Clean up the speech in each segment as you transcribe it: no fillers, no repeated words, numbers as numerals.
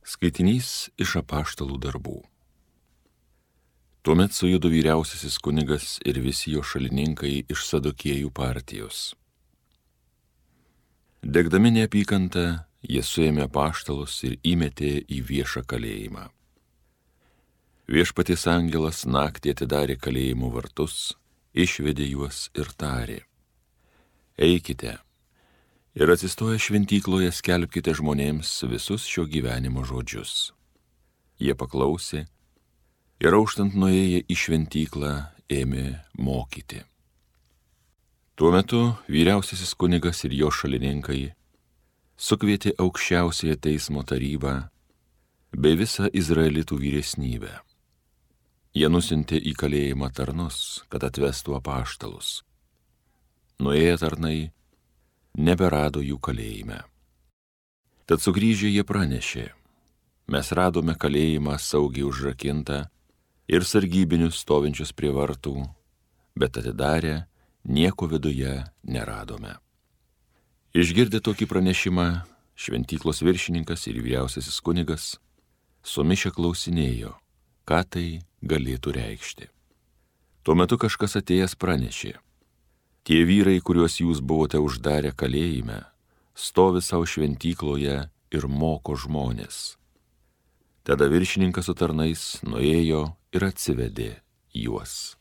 Skaitinys iš apaštalų darbų. Tuomet sujudo vyriausiasis kunigas ir visi jo šalininkai iš Sadukėjų partijos. Degdami neapykantą, jie suėmė apaštalus ir įmetė į viešą kalėjimą. Viešpaties angelas naktį atidarė kalėjimo vartus, išvedė juos ir tarė: Eikite ir atsistoję šventykloje skelbkite žmonėms visus šio gyvenimo žodžius. Jie paklausė ir auštant nuėję į šventyklą ėmė mokyti. Tuo metu vyriausiasis kunigas ir jo šalininkai sukvietė aukščiausiąją teismo tarybą bei visą izraelitų vyresnybę. Jie nusiuntė į kalėjimą tarnus, kad atvestų apaštalus. Nuėję tarnai neberado jų kalėjime. Tad sugrįžę jie pranešė: Mes radome kalėjimą saugiai užrakintą ir sargybinius stovinčius prie vartų, bet atidarę nieko viduje neradome. Išgirdę tokį pranešimą, šventyklos viršininkas ir vyriausiasis kunigas sumišę klausinėjo, ką tai galėtų reikšti. Tuo metu kažkas atėjęs pranešė: Tie vyrai, kuriuos jūs buvote uždarę kalėjime, stovi savo šventykloje ir moko žmonės. Tada viršininkas su tarnais nuėjo ir atsivedė juos,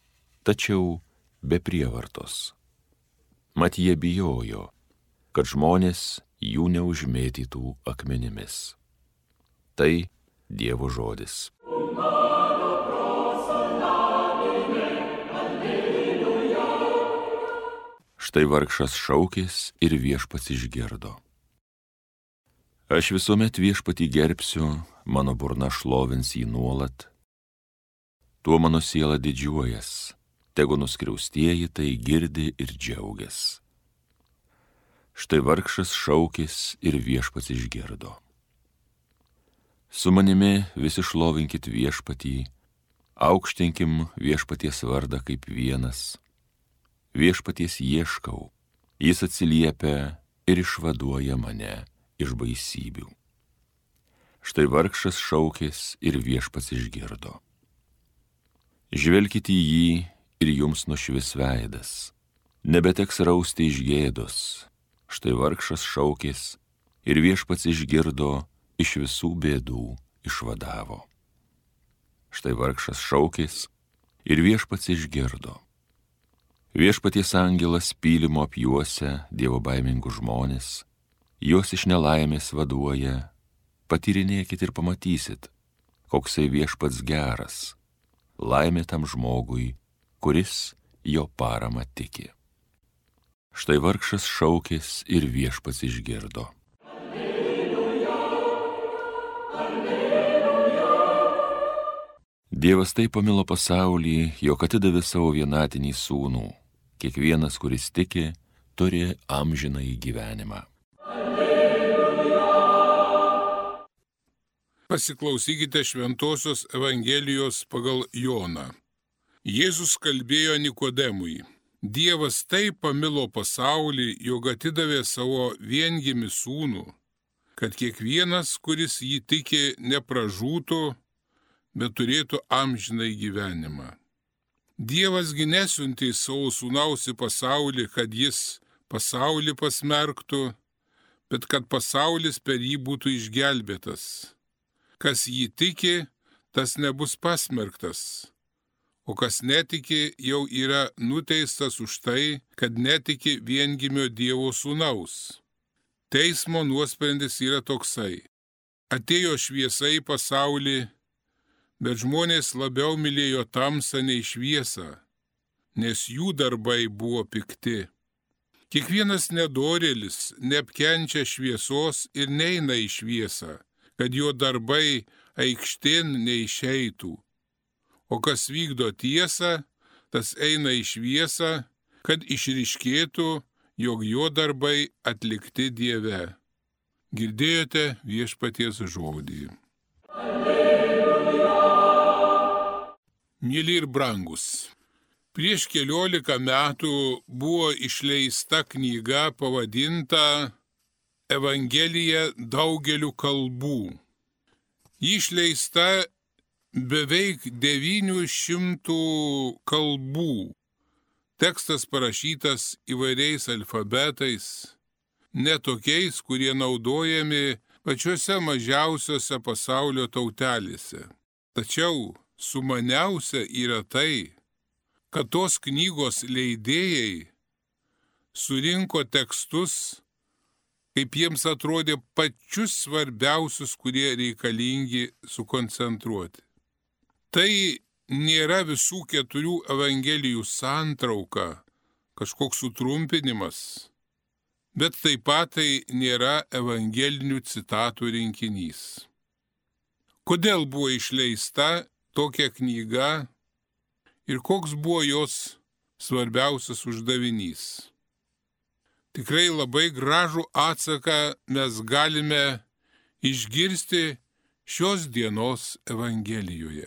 tačiau be prievartos. Mat jie bijojo, kad žmonės jų neužmėtytų akmenimis. Tai Dievo žodis. Štai vargšas šaukės ir viešpats išgirdo. Aš visuomet viešpatį gerbsiu, mano burna šlovins jį nuolat. Tuo mano siela didžiuojas, tegu nuskriaustieji tai girdi ir džiaugias. Štai vargšas šaukės ir viešpats išgirdo. Su manimi visi šlovinkit viešpatį, aukštinkim viešpaties vardą kaip vienas. Viešpaties ieškau, jis atsiliepia ir išvaduoja mane iš baisybių. Štai vargšas šaukės ir viešpats išgirdo. Žvelkite į jį ir jums nušvis veidas, nebeteks rausti iš gėdos. Štai vargšas šaukės ir viešpats išgirdo, iš visų bėdų išvadavo. Štai vargšas šaukės ir viešpats išgirdo. Viešpaties angelas pylimo apjuosia dievobaimingų žmonės, juos iš nelaimės vaduoja. Patyrinėkit ir pamatysit, koksai viešpats geras, laimė tam žmogui, kuris jo parama tiki. Štai vargšas šaukės ir viešpats išgirdo. Alleluja, alleluja. Dievas taip pamilo pasaulį, jog atidavė savo vienatinį sūnų. Kiekvienas, kuris tiki, turi amžinąjį gyvenimą. Alleluja. Pasiklausykite Šventosios Evangelijos pagal Joną. Jėzus kalbėjo Nikodemui: Dievas taip pamilo pasaulį, jog atidavė savo viengimį sūnų, kad kiekvienas, kuris jį tiki, nepražūtų, bet turėtų amžinąjį gyvenimą. Dievasgi nesiuntė savo sūnaus į pasaulį, kad jis pasaulį pasmerktų, bet kad pasaulis per jį būtų išgelbėtas. Kas jį tiki, tas nebus pasmerktas, o kas netiki, jau yra nuteistas už tai, kad netiki viengimio Dievo sūnaus. Teismo nuosprendis yra toksai: atėjo šviesa į pasaulį, bet žmonės labiau mylėjo tamsą nei šviesą, nes jų darbai buvo pikti. Kiekvienas nedorėlis neapkenčia šviesos ir neina į šviesą, kad jo darbai aikštėn neišeitų. O kas vykdo tiesą, tas eina į šviesą, kad išryškėtų, jog jo darbai atlikti Dieve. Girdėjote viešpaties žodį. Myli ir brangus, prieš 14 metų buvo išleista knyga pavadinta Evangelija daugeliu kalbų. Ji išleista beveik 900 kalbų. Tekstas parašytas įvairiais alfabetais, ne tokiais, kurie naudojami pačiuose mažiausiose pasaulio tautelėse. Tačiau sumaniausia yra tai, kad tos knygos leidėjai surinko tekstus, kaip jiems atrodė pačius svarbiausius, kurie reikalingi sukoncentruoti. Tai nėra visų 4 evangelijų santrauka, kažkoks sutrumpinimas, bet taip pat tai nėra evangelinių citatų rinkinys. Kodėl buvo išleista tokia knyga ir koks buvo jos svarbiausias uždavinys? Tikrai labai gražų atsaką mes galime išgirsti šios dienos Evangelijoje.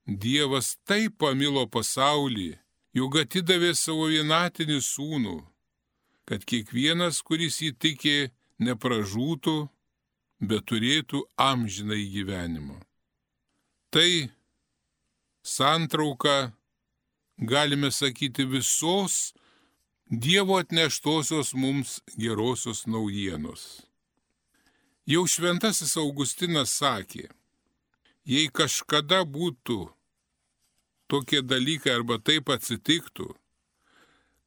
Dievas taip pamilo pasaulį, jog atidavė savo vienatinį sūnų, kad kiekvienas, kuris jį tiki, nepražūtų, bet turėtų amžinąjį gyvenimą. Tai santrauka, galime sakyti, visos Dievo atneštosios mums gerosios naujienos. Jau šventasis Augustinas sakė, jei kažkada būtų tokie dalykai arba taip atsitiktų,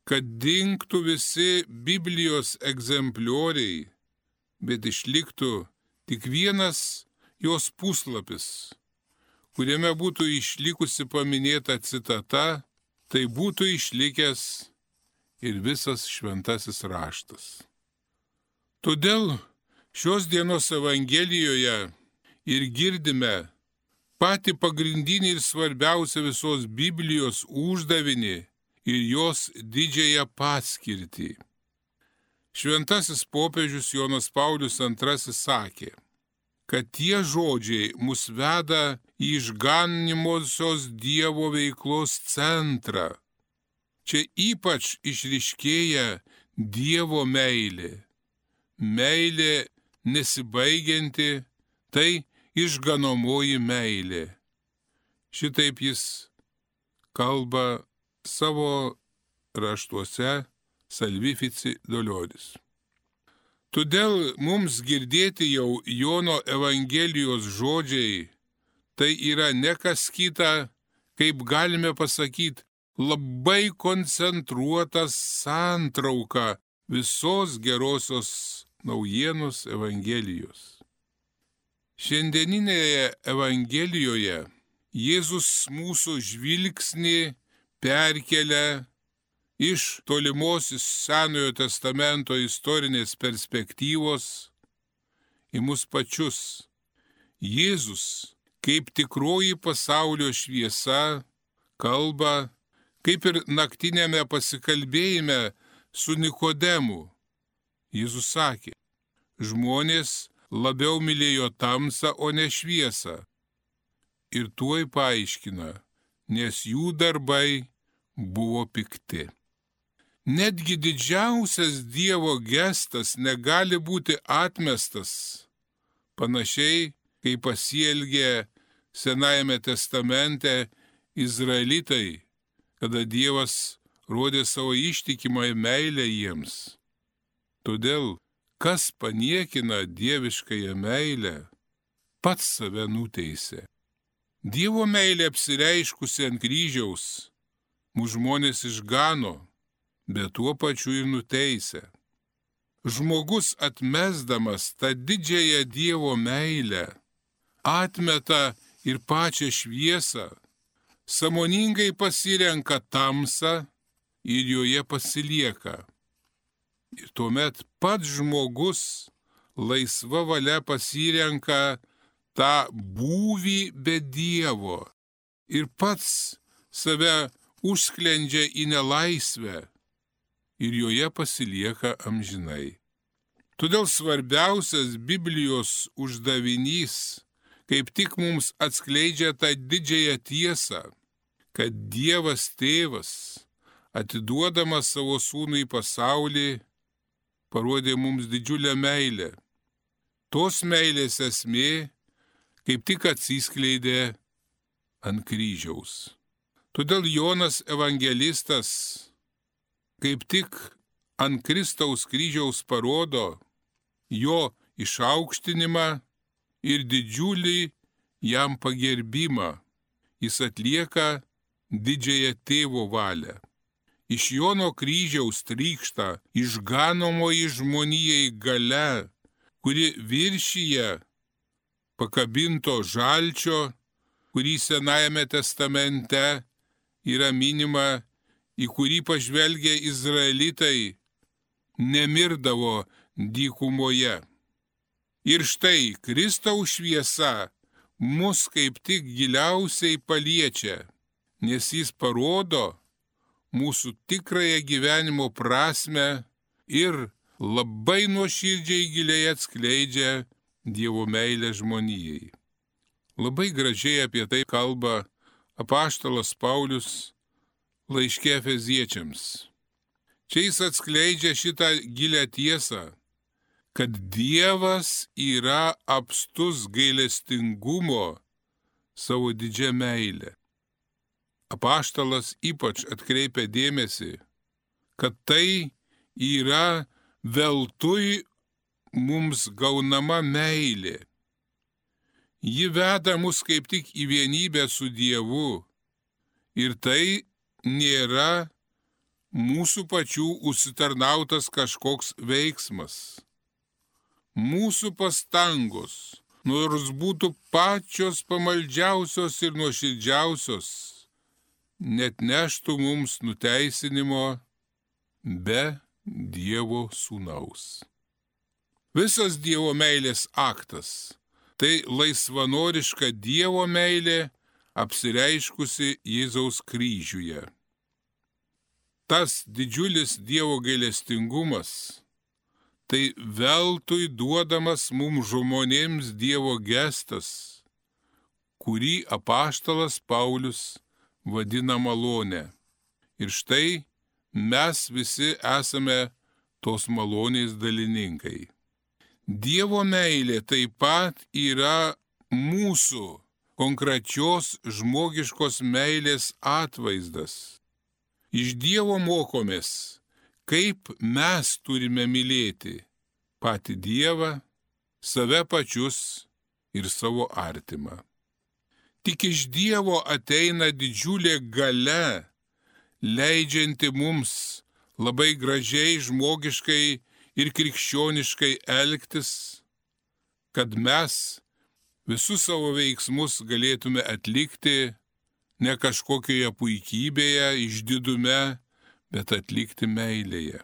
kad dingtų visi Biblijos egzemplioriai, bet išliktų tik vienas jos puslapis, kuriame būtų išlikusi paminėta citata, tai būtų išlikęs ir visas šventasis raštas. Todėl šios dienos Evangelijoje ir girdime patį pagrindinį ir svarbiausią visos Biblijos uždavinį ir jos didžiąją paskirtį. Šventasis popiežius Jonas Paulius II sakė, kad tie žodžiai mus veda į išganimosios Dievo veiklos centrą. Čia ypač išryškėja Dievo meilė. Meilė nesibaigianti, tai išganomoji meilė. Šitaip jis kalba savo raštuose Salvifici Dolioris. Todėl mums girdėti jau Jono Evangelijos žodžiai, tai yra ne kas kita, kaip galime pasakyti, labai koncentruota santrauka visos gerosios naujienos Evangelijos. Šiandieninėje Evangelijoje Jėzus mūsų žvilgsnį perkelia iš tolimosios Senojo testamento istorinės perspektyvos į mus pačius. Jėzus, kaip tikroji pasaulio šviesa, kalba, kaip ir naktinėme pasikalbėjime su Nikodemu. Jėzus sakė, žmonės labiau mylėjo tamsą, o ne šviesą. Ir tuoj paaiškina, nes jų darbai buvo pikti. Netgi didžiausias Dievo gestas negali būti atmestas, panašiai kaip pasielgė Senajame testamente Izraelitai, kada Dievas rodė savo ištikimą meilę jiems. Todėl, kas paniekina dieviškąją meilę, pats save nuteisė. Dievo meilė apsireiškusi ant kryžiaus, mūsų žmonės išgano, bet tuo pačiu ir nuteisė. Žmogus atmesdamas tą didžiąją Dievo meilę, atmeta ir pačią šviesą, sąmoningai pasirenka tamsą ir joje pasilieka. Ir tuomet pats žmogus laisva valia pasirenka tą būvį be Dievo ir pats save užsklendžia į nelaisvę ir joje pasilieka amžinai. Todėl svarbiausias Biblijos uždavinys kaip tik mums atskleidžia tą didžiąją tiesą, kad Dievas Tėvas, atiduodamas savo sūnų į pasaulį, parodė mums didžiulę meilę. Tos meilės esmė, kaip tik atsiskleidė ant kryžiaus. Todėl Jonas evangelistas kaip tik ant Kristaus kryžiaus parodo jo išaukštinimą ir didžiulį jam pagerbimą. Jis atlieka didžiąją tėvo valią. Iš Jono kryžiaus trykšta išganomoji žmonijai galia, kuri viršyje pakabinto žalčio, kurį Senajame testamente yra minima, į kurį pažvelgę izraelitai nemirdavo dykumoje. Ir štai Kristaus šviesa mus kaip tik giliausiai paliečia, nes jis parodo mūsų tikrąją gyvenimo prasmę ir labai nuoširdžiai giliai atskleidžia Dievo meilę žmonijai. Labai gražiai apie tai kalba apaštalas Paulius laiške Efeziečiams. Čia jis atskleidžia šitą gilią tiesą, kad Dievas yra apstus gailestingumo savo didžią meilę. Apaštalas ypač atkreipia dėmesį, kad tai yra veltui mums gaunama meilė. Ji veda mus kaip tik į vienybę su Dievu ir tai nėra mūsų pačių užsitarnautas kažkoks veiksmas. Mūsų pastangos, nors būtų pačios pamaldžiausios ir nuoširdžiausios, net neštų mums nuteisinimo be Dievo sūnaus. Visas Dievo meilės aktas – tai laisvanoriška Dievo meilė apsireiškusi Jėzaus kryžiuje. Tas didžiulis Dievo gailestingumas – tai veltui duodamas mums žmonėms Dievo gestas, kurį apaštalas Paulius vadina malone. Ir štai mes visi esame tos malonės dalininkai. Dievo meilė taip pat yra mūsų konkrečios žmogiškos meilės atvaizdas. Iš Dievo mokomės, kaip mes turime mylėti patį Dievą, save pačius ir savo artimą. Tik iš Dievo ateina didžiulė galia, leidžianti mums labai gražiai, žmogiškai ir krikščioniškai elgtis, kad mes visus savo veiksmus galėtume atlikti ne kažkokioje puikybėje, išdidume, bet atlikti meilėje.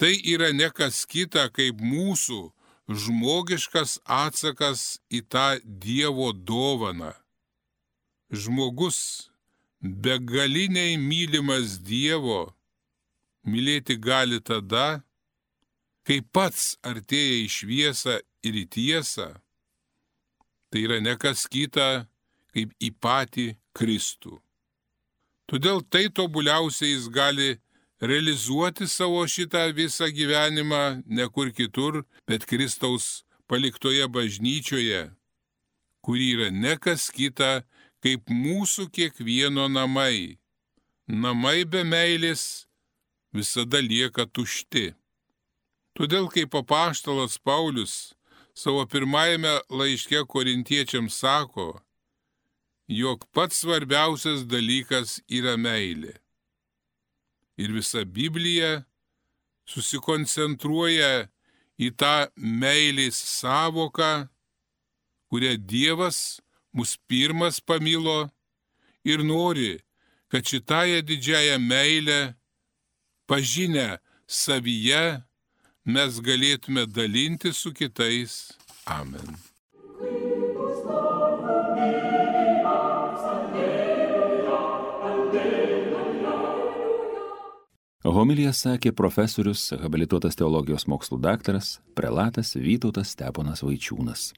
Tai yra ne kas kita, kaip mūsų žmogiškas atsakas į tą Dievo dovaną. Žmogus, begaliniai mylimas Dievo, mylėti gali tada, kai pats artėja į šviesą ir į tiesą. Tai yra ne kas kita, kaip į patį Kristų. Todėl tai tobuliausiai jis gali realizuoti savo šitą visą gyvenimą ne kur kitur, bet Kristaus paliktoje bažnyčioje, kuri yra ne kas kita, kaip mūsų kiekvieno namai. Namai be meilės visada lieka tušti. Todėl, kaip apaštalas Paulius savo pirmajame laiške korintiečiams sako, jog pats svarbiausias dalykas yra meilė. Ir visa Biblija susikoncentruoja į tą meilės savoką, kurią Dievas mus pirmas pamilo ir nori, kad šitąją didžiąją meilę, pažinę savyje, mes galėtume dalinti su kitais. Amen. Homiliją sakė profesorius, habilituotas teologijos mokslų daktaras, prelatas Vytautas Steponas Vaičiūnas.